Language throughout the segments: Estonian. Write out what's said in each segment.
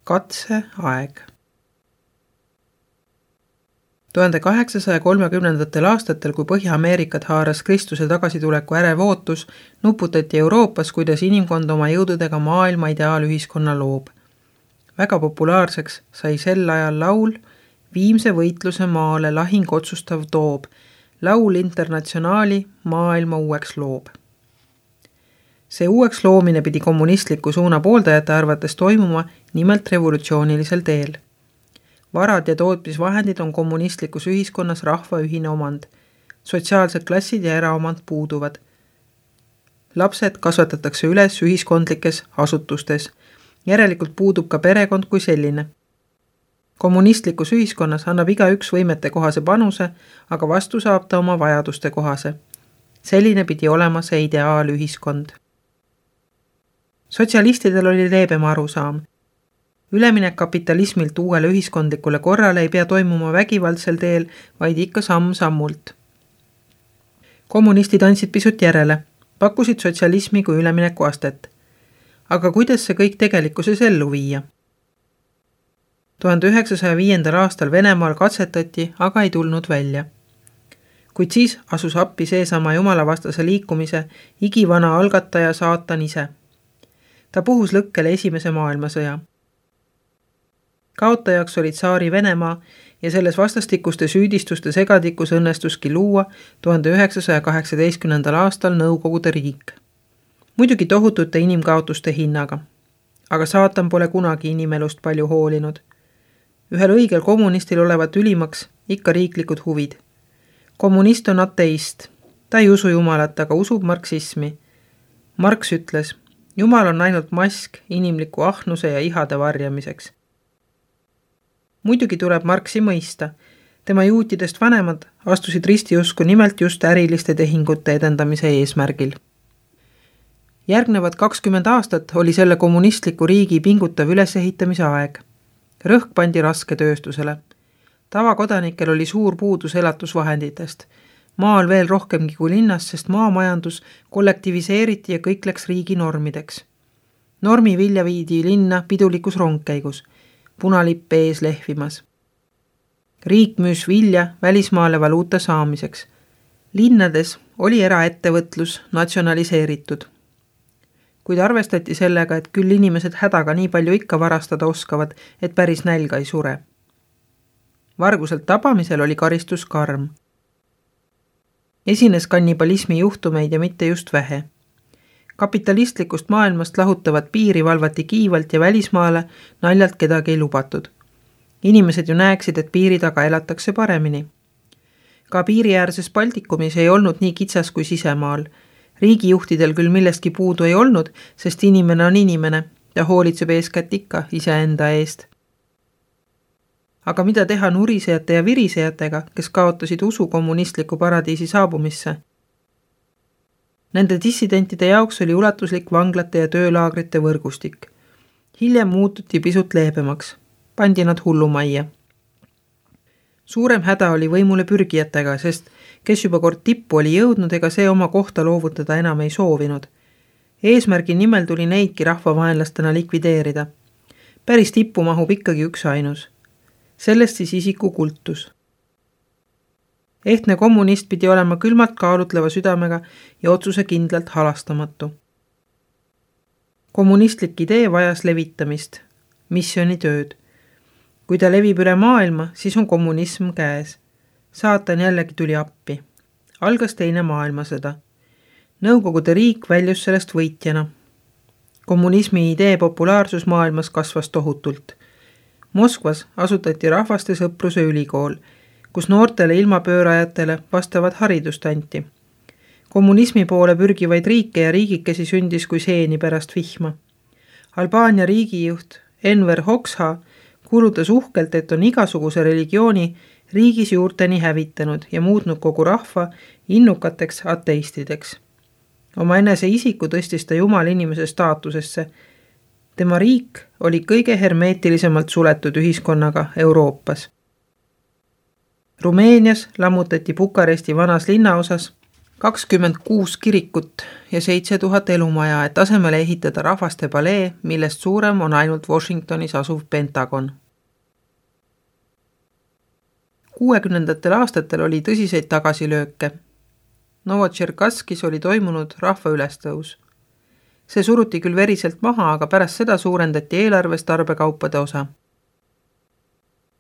Katseaeg. 1830. aastatel, kui Põhja-Ameerikat haaras Kristuse tagasituleku ärev ootus, nuputati Euroopas, kuidas inimkond oma jõududega maailma ideaalühiskonna loob. Väga populaarseks sai sel ajal laul Viimse võitluse maale lahing otsustav toob, laul Internatsionaali maailma uueks loob. See uueks loomine pidi kommunistliku suuna pooldajate arvates toimuma nimelt revolutsioonilisel teel. Varad ja tootmisvahendid on kommunistlikus ühiskonnas rahva ühine omand. Sotsiaalsed klassid ja eraomand puuduvad. Lapsed kasvatatakse üles ühiskondlikes asutustes. Järelikult puudub ka perekond kui selline. Kommunistlikus ühiskonnas annab igaüks võimete kohase panuse, aga vastu saab ta oma vajaduste kohase. Selline pidi olema see ideaalühiskond. Sotsialistidel oli leebem arusaam. Üleminek kapitalismilt uuele ühiskondlikule korrale ei pea toimuma vägivaldsel teel, vaid ikka samm-sammult. Kommunistid andsid pisut järele, pakkusid sotsialismi kui ülemineku astet. Aga kuidas see kõik tegelikkuses ellu viia? 1905. aastal Venemaal katsetati, aga ei tulnud välja. Kuid siis asus appi seesama jumalavastase liikumise igivana algataja saatan ise. Ta puhus lõkkele esimese maailmasõja. Kaotajaks oli tsaari Venemaa ja selles vastastikuste süüdistuste segadikus õnnestuski luua 1918. aastal Nõukogude riik. Muidugi tohutute inimkaotuste hinnaga. Aga saatan pole kunagi inimelust palju hoolinud. Ühel õigel kommunistil olevat ülimaks ikka riiklikud huvid. Kommunist on ateist. Ta ei usu jumalat, aga usub marksismi. Marx ütles, Jumal on ainult mask inimliku ahnuse ja ihade varjamiseks. Muidugi tuleb Marxi mõista. Tema juutidest vanemad astusid ristiusku nimelt just äriliste tehingute edendamise eesmärgil. Järgnevad 20 aastat oli selle kommunistliku riigi pingutav ülesehitamise aeg. Rõhk pandi rasketööstusele. Tavakodanikel oli suur puudus elatusvahenditest. Maal veel rohkemgi kui linnas, sest maamajandus kollektiviseeriti ja kõik läks riigi normideks. Normi vilja viidi linna pidulikus rongkäigus. Punalipp ees lehvimas. Riik müüs vilja välismaale valuuta saamiseks. Linnades oli eraettevõtlus natsionaliseeritud. Kuid arvestati sellega, et küll inimesed hädaga nii palju ikka varastada oskavad, et päris nälga ei sure. Varguselt tabamisel oli karistus karm. Esines kannibalismi juhtumeid ja mitte just vähe. Kapitalistlikust maailmast lahutavat piiri valvati kiivalt ja välismaale naljalt kedagi ei lubatud. Inimesed ju näeksid, et piiri taga elatakse paremini. Ka piiriäärses Baltikumis ei olnud nii kitsas kui sisemaal. Riigijuhtidel küll millestki puudu ei olnud, sest inimene on inimene ja hoolitseb eeskätt ikka iseenda eest. Aga mida teha nurisejate ja virisejatega, kes kaotasid usu kommunistliku paradiisi saabumisse? Nende dissidentide jaoks oli ulatuslik vanglate ja töölaagrite võrgustik. Hiljem muututi pisut leebemaks. Pandi nad hullumajja. Suurem häda oli võimule pürgijatega, sest kes juba kord tippu oli jõudnud, ega see oma kohta loovutada enam ei soovinud. Eesmärgi nimel tuli neidki rahvavaenlastena likvideerida. Päris tippu mahub ikkagi üks ainus. Sellest siis isiku kultus. Ehtne kommunist pidi olema külmalt kaalutleva südamega ja otsuse kindlalt halastamatu. Kommunistlik idee vajas levitamist, missionitööd. Kui ta levib üle maailma, siis on kommunism käes. Saatan jällegi tuli appi. Algas teine maailmasõda. Nõukogude riik väljus sellest võitjana. Kommunismi idee populaarsus maailmas kasvas tohutult. Moskvas asutati rahvaste sõpruse ülikool, kus noortele ilmapöörajatele vastavat haridust anti. Kommunismi poole pürgivaid riike ja riigikesi sündis kui seeni pärast vihma. Albaania riigijuht Enver Hoxha kuulutas uhkelt, et on igasuguse religiooni riigis juurteni hävitanud ja muutnud kogu rahva innukateks ateistideks. Oma enese isiku tõstis ta Jumal inimese staatusesse. Tema riik oli kõige hermeetilisemalt suletud ühiskonnaga Euroopas. Rumeenias lammutati Bukaresti vanas linnaosas 26 kirikut ja 7000 elumaja, et asemele ehitada rahvaste palee, millest suurem on ainult Washingtonis asuv Pentagon. 60ndatel aastatel oli tõsiseid tagasilööke. Novotšerkasskis oli toimunud rahva ülestõus. See suruti küll veriselt maha, aga pärast seda suurendati eelarves tarbekaupade osa.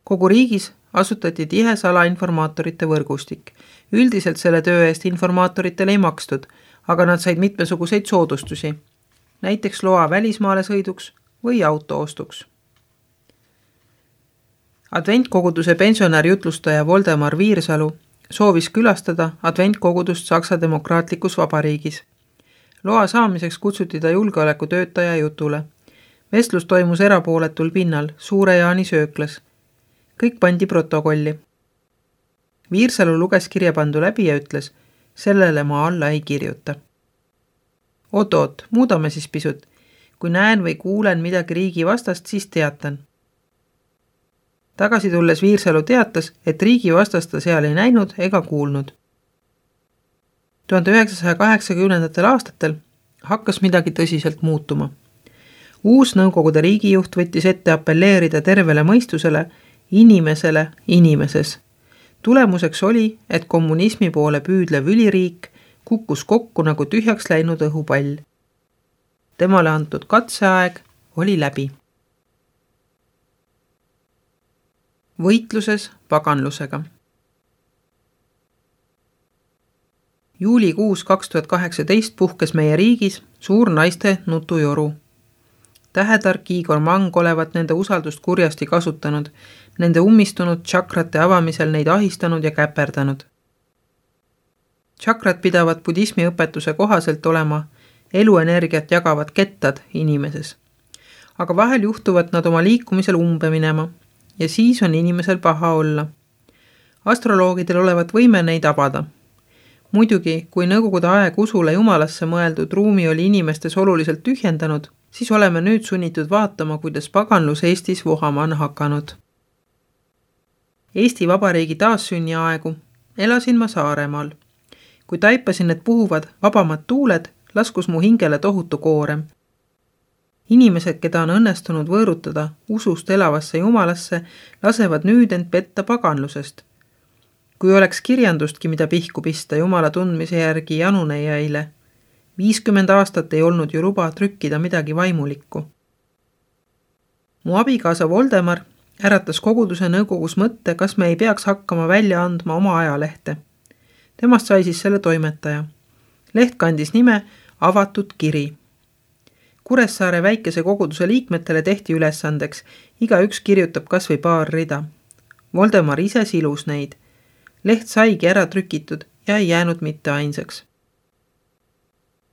Kogu riigis asutati tihe salainformaatorite võrgustik. Üldiselt selle töö eest informaatoritele ei makstud, aga nad said mitmesuguseid soodustusi, näiteks loa välismaale sõiduks või auto ostuks. Adventkoguduse pensionär jutlustaja Voldemar Viirsalu soovis külastada adventkogudust Saksa Demokraatlikus Vabariigis. Loa saamiseks kutsuti ta julgeolekutöötaja jutule. Vestlus toimus erapooletul pinnal, Suure Jaani sööklas. Kõik pandi protokolli. Viirsalu luges kirjapandu läbi ja ütles, sellele ma alla ei kirjuta. Oot, muudame siis pisut. Kui näen või kuulen midagi riigi vastast, siis teatan. Tagasi tulles Viirsalu teatas, et riigi vastast ta seal ei näinud ega kuulnud. 1980ndatel aastatel hakkas midagi tõsiselt muutuma. Uus Nõukogude riigijuht võttis ette appelleerida tervele mõistusele, inimesele inimeses. Tulemuseks oli, et kommunismi poole püüdlev üliriik kukkus kokku nagu tühjaks läinud õhupall. Temale antud katseaeg oli läbi. Võitluses paganlusega. Juulikuus 2018 puhkes meie riigis suur naiste nutujoru. Tähetark Igor Mang olevat nende usaldust kurjasti kasutanud, nende ummistunud tšakrate avamisel neid ahistanud ja käperdanud. Tšakrat pidavad budismi õpetuse kohaselt olema eluenergiat jagavad kettad inimeses. Aga vahel juhtuvad nad oma liikumisel umbe minema ja siis on inimesel paha olla. Astroloogidel olevat võime neid avada. Muidugi, kui Nõukogude aeg usule jumalasse mõeldud ruumi oli inimestes oluliselt tühjendanud, siis oleme nüüd sunnitud vaatama, kuidas paganlus Eestis vohama on hakanud. Eesti Vabariigi taassünni aegu elasin ma Saaremaal. Kui taipasin, et puhuvad vabamad tuuled, laskus mu hingele tohutu koorem. Inimesed, keda on õnnestunud võõrutada usust elavasse jumalasse, lasevad nüüd end petta paganlusest. Kui oleks kirjandustki, mida pihku pista jumala tundmise järgi janunejaile, 50 aastat ei olnud ju luba trükkida midagi vaimulikku. Mu abikaasa Voldemar äratas koguduse nõukogus mõtte, kas me ei peaks hakkama välja andma oma ajalehte. Temast sai siis selle toimetaja. Leht kandis nime Avatud kiri. Kuressaare väikese koguduse liikmetele tehti ülesandeks, igaüks kirjutab kas või paar rida. Voldemar ise silus neid. Leht saigi ära trükitud ja ei jäänud mitte ainsaks.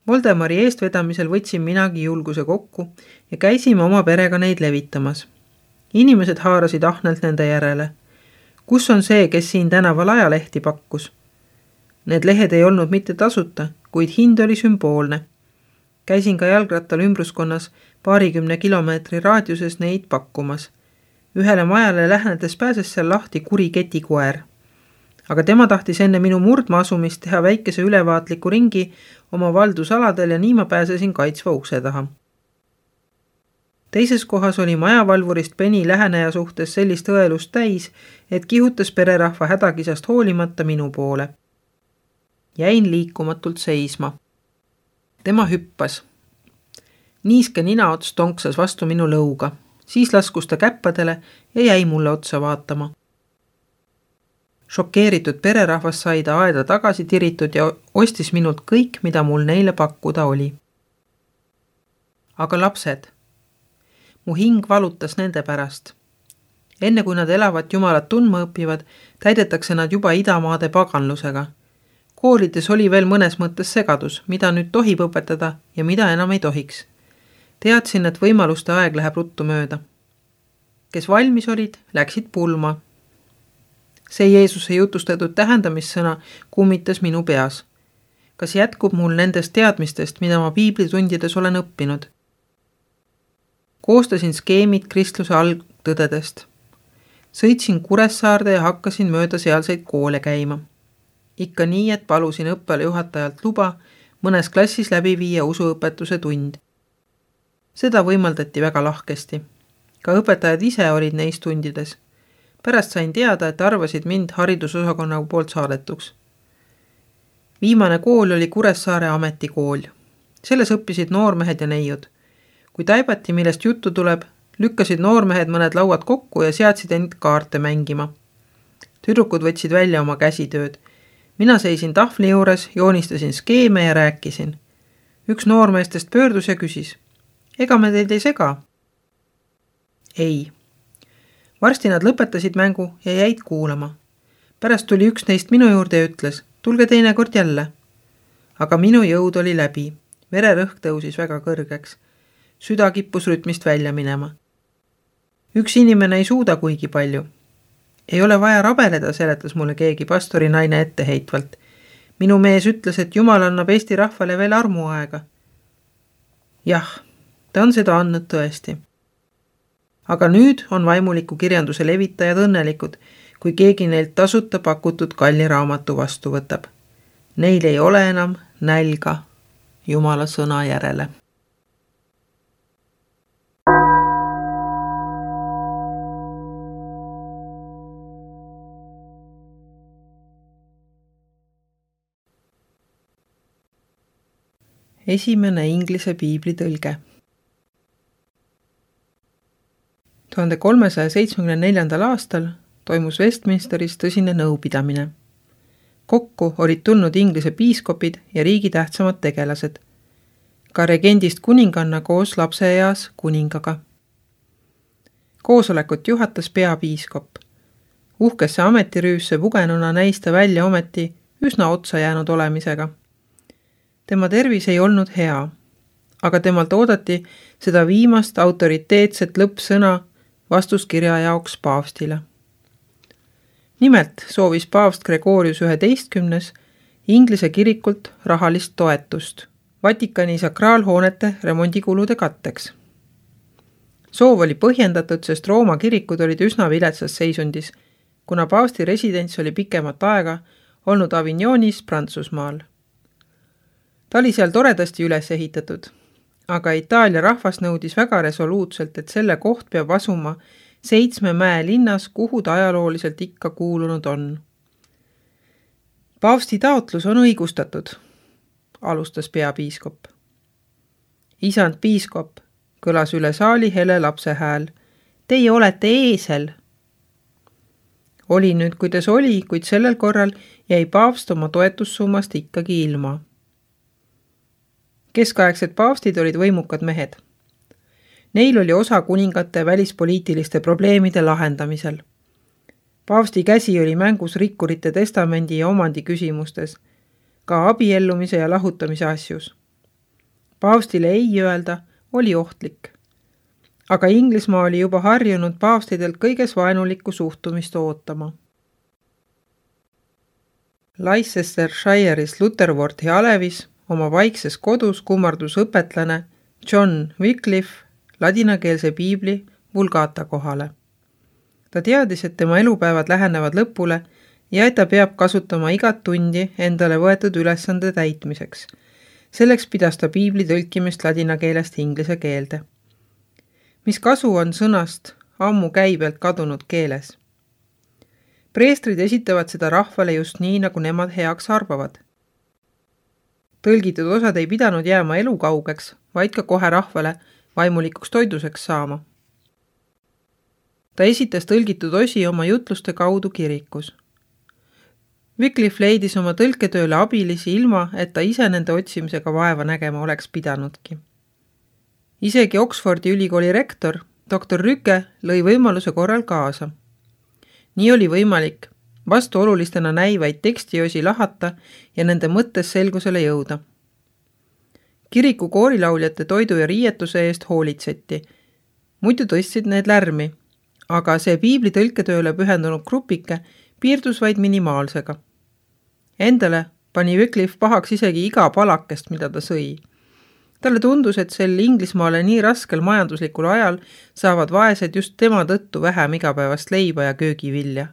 Voldemari eestvedamisel võtsin minagi julguse kokku ja käisime oma perega neid levitamas. Inimesed haarasid ahnelt nende järele. Kus on see, kes siin tänaval ajalehti pakkus? Need lehed ei olnud mitte tasuta, kuid hind oli sümboolne. Käisin ka jalgrattal ümbruskonnas 20 kilomeetri raadiuses neid pakkumas. Ühele majale lähenedes pääses seal lahti kuri ketikoer. Aga tema tahtis enne minu murdma asumist teha väikese ülevaatliku ringi oma valdusaladel ja nii ma pääsesin kaitsva ukse taha. Teises kohas oli majavalvurist Penny läheneja suhtes sellist õelust täis, et kihutas pererahva hädakisast hoolimata minu poole. Jäin liikumatult seisma. Tema hüppas. Niiske ninaots tonksas vastu minu lõuga. Siis laskus ta käppadele ja jäi mulle otsa vaatama. Šokeeritud pererahvas sai ta aeda tagasi tiritud ja ostis minult kõik, mida mul neile pakkuda oli. Aga lapsed. Mu hing valutas nende pärast. Enne kui nad elavat jumalat tundma õpivad, täidetakse nad juba idamaade paganlusega. Koolides oli veel mõnes mõttes segadus, mida nüüd tohib õpetada ja mida enam ei tohiks. Teadsin, et võimaluste aeg läheb ruttu mööda. Kes valmis olid, läksid pulma. See Jeesuse jutustatud tähendamissõna kummitas minu peas. Kas jätkub mul nendest teadmistest, mida ma piiblitundides olen õppinud? Koostasin skeemid kristluse algtõdedest. Sõitsin Kuressaarde ja hakkasin mööda sealseid koole käima. ikka nii, et palusin õppele juhatajalt luba mõnes klassis läbi viia usuõpetuse tund. Seda võimaldati väga lahkesti. Ka õpetajad ise olid neis tundides. Pärast sain teada, et arvasid mind haridusosakonna poolt saadetuks. Viimane kool oli Kuressaare ametikool. Selles õppisid noormehed ja neiud. Kui taibati, millest juttu tuleb, lükkasid noormehed mõned lauad kokku ja seadsid end kaarte mängima. Tüdrukud võtsid välja oma käsitööd. Mina seisin tahvli juures, joonistasin skeeme ja rääkisin. Üks noormeestest pöördus ja küsis. Ega me teid ei sega? Ei. Varsti nad lõpetasid mängu ja jäid kuulama. Pärast tuli üks neist minu juurde ja ütles, tulge teinekord jälle. Aga minu jõud oli läbi. Vererõhk tõusis väga kõrgeks. Süda kippus rütmist välja minema. Üks inimene ei suuda kuigi palju. Ei ole vaja rabeleda, seletas mulle keegi pastori naine etteheitvalt. Minu mees ütles, et Jumal annab Eesti rahvale veel armuaega. Jah, ta on seda andnud tõesti. Aga nüüd on vaimuliku kirjanduse levitajad õnnelikud, kui keegi neilt tasuta pakutud kalli raamatu vastu võtab. Neil ei ole enam nälga Jumala sõna järele. Esimene inglise piibli tõlge. 1374. aastal toimus Westminsteris tõsine nõupidamine. Kokku olid tulnud Inglise piiskopid ja riigi tähtsamad tegelased. Ka regendist kuninganna koos lapseeas kuningaga. Koosolekut juhatas peapiiskop. Uhkesse ametirüüsse pugenuna näis ta välja ometi üsna otsa jäänud olemisega. Tema tervis ei olnud hea, aga temalt oodati seda viimast autoriteetset lõppsõna vastuskirja jaoks paavstile. Nimelt soovis paavst Gregorius 11. Inglise kirikult rahalist toetust Vatikani sakraalhoonete remondikulude katteks. Soov oli põhjendatud, sest Rooma kirikud olid üsna viletsas seisundis, kuna paavsti residents oli pikemat aega olnud Avignonis Prantsusmaal. Ta oli seal toredasti üles ehitatud, aga Itaalia rahvas nõudis väga resoluutselt, et selle koht peab asuma 7 mäe linnas, kuhu ta ajalooliselt ikka kuulunud on. Paavsti taotlus on õigustatud, alustas peapiiskop. Isand piiskop, kõlas üle saali hele lapse hääl. Teie olete eesel. Oli nüüd, kuidas oli, kuid sellel korral jäi paavst oma toetussummast ikkagi ilma. Keskaegsed paavstid olid võimukad mehed. Neil oli osa kuningate välispoliitiliste probleemide lahendamisel. Paavsti käsi oli mängus rikkurite testamendi ja omandi küsimustes, ka abiellumise ja lahutamise asjus. Paavstile ei öelda oli ohtlik. Aga Inglismaa oli juba harjunud paavstidelt kõiges vaenulikku suhtumist ootama. Leicestershire'is Lutherworthi alevis oma vaikses kodus kummardus õpetlane John Wycliffe ladinakeelse piibli Vulgata kohale. Ta teadis, et tema elupäevad lähenevad lõpule ja et ta peab kasutama igat tundi endale võetud ülesande täitmiseks. Selleks pidas ta piibli tõlkimist ladina keelest inglise keelde. Mis kasu on sõnast ammu käibelt kadunud keeles? Preestrid esitavad seda rahvale just nii, nagu nemad heaks arvavad. Tõlgitud osad ei pidanud jääma elukaugeks, vaid ka kohe rahvale vaimulikuks toiduseks saama. Ta esitas tõlgitud osi oma jutluste kaudu kirikus. Wycliffe leidis oma tõlketööle abilisi ilma, et ta ise nende otsimisega vaeva nägema oleks pidanudki. Isegi Oxfordi ülikooli rektor, doktor Rüke, lõi võimaluse korral kaasa. Nii oli võimalik vastuolulistena näivaid tekstiosi lahata ja nende mõttes selgusele jõuda. Kiriku koorilauljate toidu ja riietuse eest hoolitseti. Muidu tõstsid need lärmi, aga see piibli tõlketööle pühendunud grupike piirdus vaid minimaalsega. Endale pani Wycliffe pahaks isegi iga palakest, mida ta sõi. Talle tundus, et sel Inglismaale nii raskel majanduslikul ajal saavad vaesed just tema tõttu vähem igapäevast leiba ja köögivilja.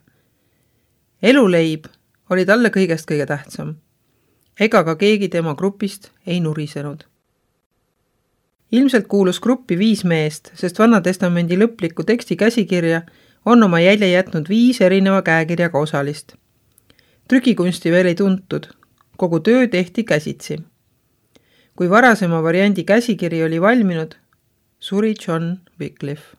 Eluleib oli talle kõigest kõige tähtsam. Ega ka keegi tema grupist ei nurisenud. Ilmselt kuulus gruppi 5 meest, sest Vana Testamendi lõpliku teksti käsikirja on oma jälje jätnud 5 erineva käekirjaga osalist. Trükikunsti veel ei tuntud, kogu töö tehti käsitsi. Kui varasema variandi käsikiri oli valminud, suri John Wycliffe.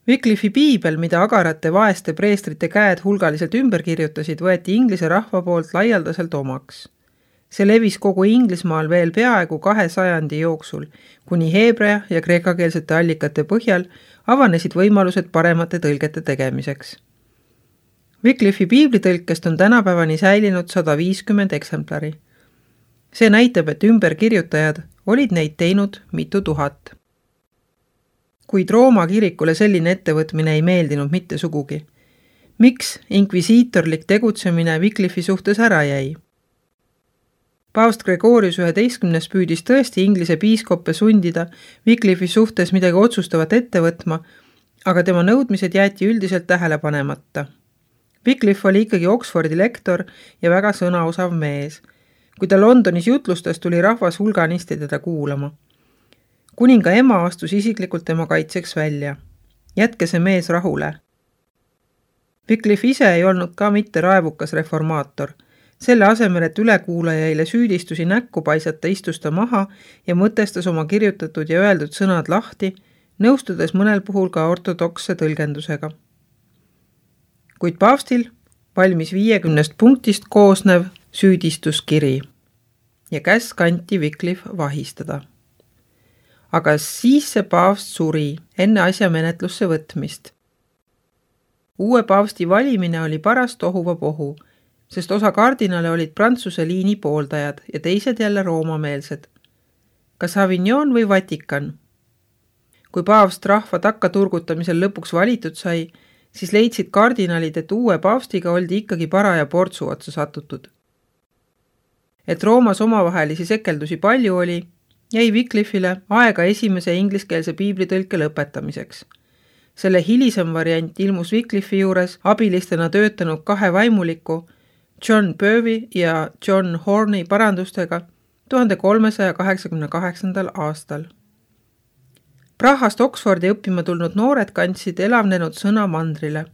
Wycliffe'i piibel, mida agarate vaeste preestrite käed hulgaliselt ümber kirjutasid, võeti inglise rahva poolt laialdaselt omaks. See levis kogu Inglismaal veel peaaegu 2 sajandi jooksul, kuni heebrea ja kreekakeelsete allikate põhjal avanesid võimalused paremate tõlgete tegemiseks. Wycliffe'i piiblitõlkest on tänapäevani säilinud 150 eksemplari. See näitab, et ümberkirjutajad olid neid teinud mitu tuhat. Kuid Rooma kirikule selline ettevõtmine ei meeldinud mitte sugugi. Miks inkvisiitorlik tegutsemine Wycliffe'i suhtes ära jäi? Paavst Gregorius 11. püüdis tõesti inglise piiskoppe sundida Wycliffe'i suhtes midagi otsustavat ette võtma, aga tema nõudmised jäeti üldiselt tähele panemata. Wycliffe oli ikkagi Oxfordi lektor ja väga sõnaosav mees. Kui ta Londonis jutlustas, tuli rahvas hulganisti teda kuulama. Kuninga ema astus isiklikult tema kaitseks välja. Jätke see mees rahule. Wycliffe ise ei olnud ka mitte raevukas reformaator. Selle asemel, et ülekuulajaile süüdistusi näkku paisata, istus ta maha ja mõtestas oma kirjutatud ja öeldud sõnad lahti, nõustudes mõnel puhul ka ortodoksse tõlgendusega. Kuid paavstil valmis 50 punktist koosnev süüdistuskiri ja käsk anti Wycliffe vahistada. Aga siis see paavst suri enne asja menetlusse võtmist. Uue paavsti valimine oli paras tohuvapohu, sest osa kardinale olid Prantsuse liini pooldajad ja teised jälle roomameelsed. Kas Avignon või Vatikan? Kui paavst rahva takkaturgutamisel lõpuks valitud sai, siis leidsid kardinalid, et uue paavstiga oldi ikkagi paraja portsu otsa satutud. Et Roomas omavahelisi sekeldusi palju oli, jäi Wycliffe'ile aega esimese ingliskeelse piiblitõlke lõpetamiseks. Selle hilisem variant ilmus Wycliffe'i juures abilistena töötanud 2 vaimuliku John Purvey ja John Horney parandustega 1388. aastal. Prahast Oxfordi õppima tulnud noored kandsid elavnenud sõna mandrile.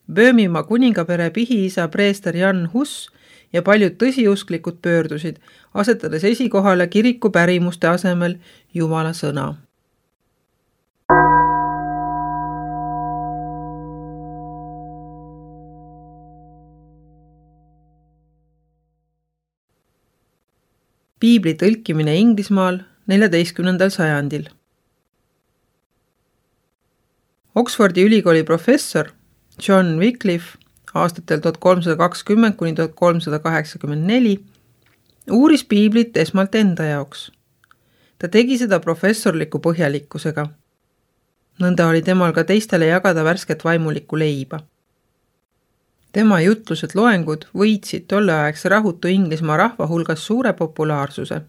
Böömimaa kuningapere pihiisa preester Jan Hus ja paljud tõsiusklikud pöördusid, asetades esikohale kiriku pärimuste asemel Jumala sõna. Piibli tõlkimine Inglismaal 14. sajandil. Oxfordi ülikooli professor John Wycliffe aastatel 1320 kuni 1384 uuris piiblit esmalt enda jaoks. Ta tegi seda professorliku põhjalikkusega. Nõnda oli temal ka teistele jagada värsket vaimulikku leiba. Tema jutlused loengud võitsid tolleaegse rahutu Inglismaa rahva hulgas suure populaarsuse.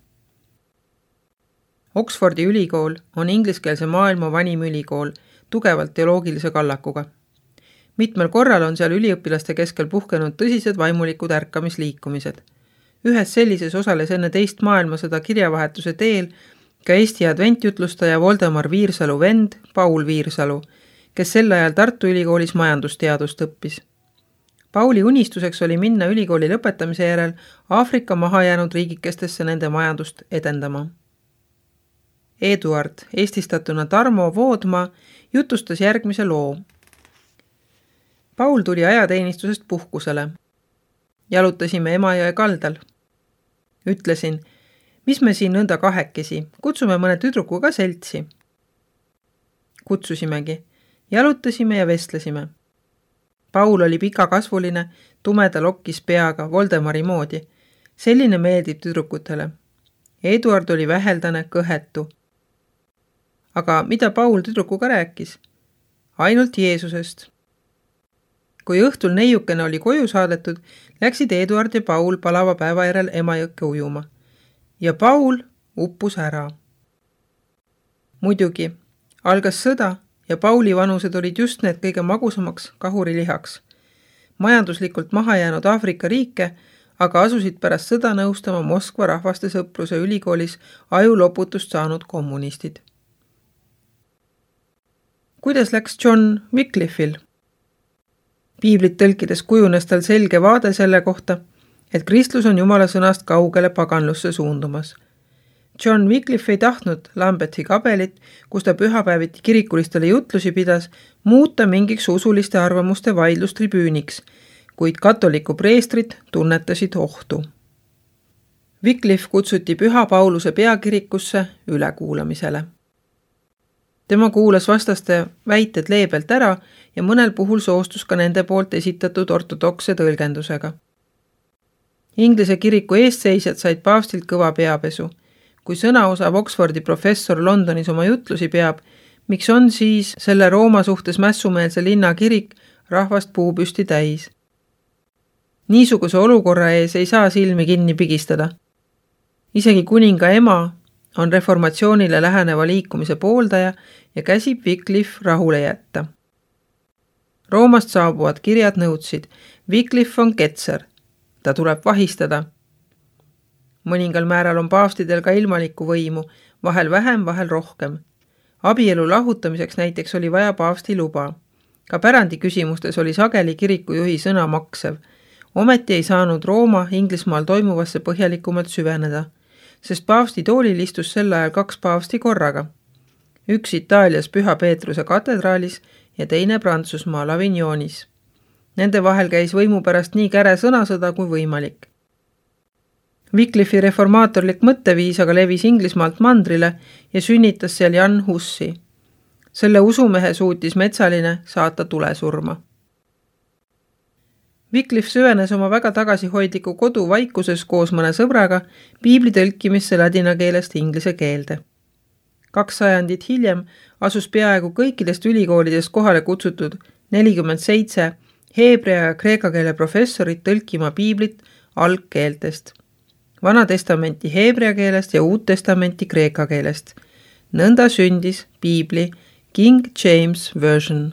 Oxfordi ülikool on ingliskeelse maailma vanim ülikool, tugevalt teoloogilise kallakuga. Mitmel korral on seal üliõpilaste keskel puhkenud tõsised vaimulikud ärkamisliikumised. Ühes sellises osales enne teist maailmasõda kirjavahetuse teel ka Eesti adventjutlustaja Voldemar Viirsalu vend Paul Viirsalu, kes sel ajal Tartu ülikoolis majandusteadust õppis. Pauli unistuseks oli minna ülikooli lõpetamise järel Aafrika mahajäänud riigikestesse nende majandust edendama. Eduard, eestistatuna Tarmo Voodmaa, jutustas järgmise loo. Paul tuli ajateenistusest puhkusele. Jalutasime Emajõe kaldal. Ütlesin, mis me siin nõnda kahekesi, kutsume mõne tüdruku ka seltsi. Kutsusimegi, jalutasime ja vestlesime. Paul oli pikakasvuline, tumeda lokkis peaga, Voldemari moodi. Selline meeldib tüdrukutele. Eduard oli väheldane, kõhetu. Aga mida Paul tüdrukuga rääkis? Ainult Jeesusest. Kui õhtul neiukene oli koju saadetud, läksid Eduard ja Paul palava päeva järel Emajõkke ujuma. Ja Paul uppus ära. Muidugi, algas sõda ja Pauli vanused olid just need kõige magusamaks kahurilihaks. majanduslikult maha jäänud Aafrika riike, aga asusid pärast sõda nõustama Moskva rahvaste sõpruse ülikoolis ajuloputust saanud kommunistid. Kuidas läks John Wycliffe'il? Piiblit tõlkides kujunes tal selge vaade selle kohta, et kristlus on Jumala sõnast kaugele paganlusse suundumas. John Wycliffe ei tahtnud Lambethi kabelit, kus ta pühapäeviti kirikulistele jutlusi pidas, muuta mingiks usuliste arvamuste vaidlustribüüniks, kuid katoliku preestrid tunnetasid ohtu. Wycliffe kutsuti Püha Pauluse peakirikusse ülekuulamisele. Tema kuulas vastaste väited leebelt ära ja mõnel puhul soostus ka nende poolt esitatud ortodokse tõlgendusega. Inglise kiriku eestseisjad said paavstilt kõva peapesu. Kui sõna osav Oxfordi professor Londonis oma jutlusi peab, miks on siis selle Rooma suhtes mässumeelse linna kirik rahvast puupüsti täis? Niisuguse olukorra ees ei saa silmi kinni pigistada. Isegi kuninga ema on reformatsioonile läheneva liikumise pooldaja ja käsib Wycliffe rahule jätta. Roomast saabuvad kirjad nõudsid, Wycliffe on ketser, ta tuleb vahistada. Mõningal määral on paavstidel ka ilmalikku võimu, vahel vähem, vahel rohkem. Abielu lahutamiseks näiteks oli vaja paavsti luba. Ka pärandi küsimustes oli sageli kirikujuhi sõna maksev. Ometi ei saanud Rooma Inglismaal toimuvasse põhjalikumalt süveneda, sest paavsti toolil istus sel ajal 2 paavsti korraga. Üks Itaalias Püha Peetruse katedraalis ja teine Prantsusmaal Avignonis. Nende vahel käis võimu pärast nii käre sõnasõda kui võimalik. Wycliffe'i reformaatorlik mõtteviis aga levis Inglismaalt mandrile ja sünnitas seal Jan Hussi. Selle usumehe suutis metsaline saata tulesurma. Wycliffe süvenes oma väga tagasihoidliku kodu vaikuses koos mõne sõbraga piibli tõlkimisse ladina keelest inglise keelde. 2 sajandit hiljem asus peaaegu kõikidest ülikoolidest kohale kutsutud 47 heebrea ja kreeka keele professorit tõlkima piiblit algkeeltest. Vana testamenti heebrea keelest ja uut testamenti kreeka keelest. Nõnda sündis piibli King James Version.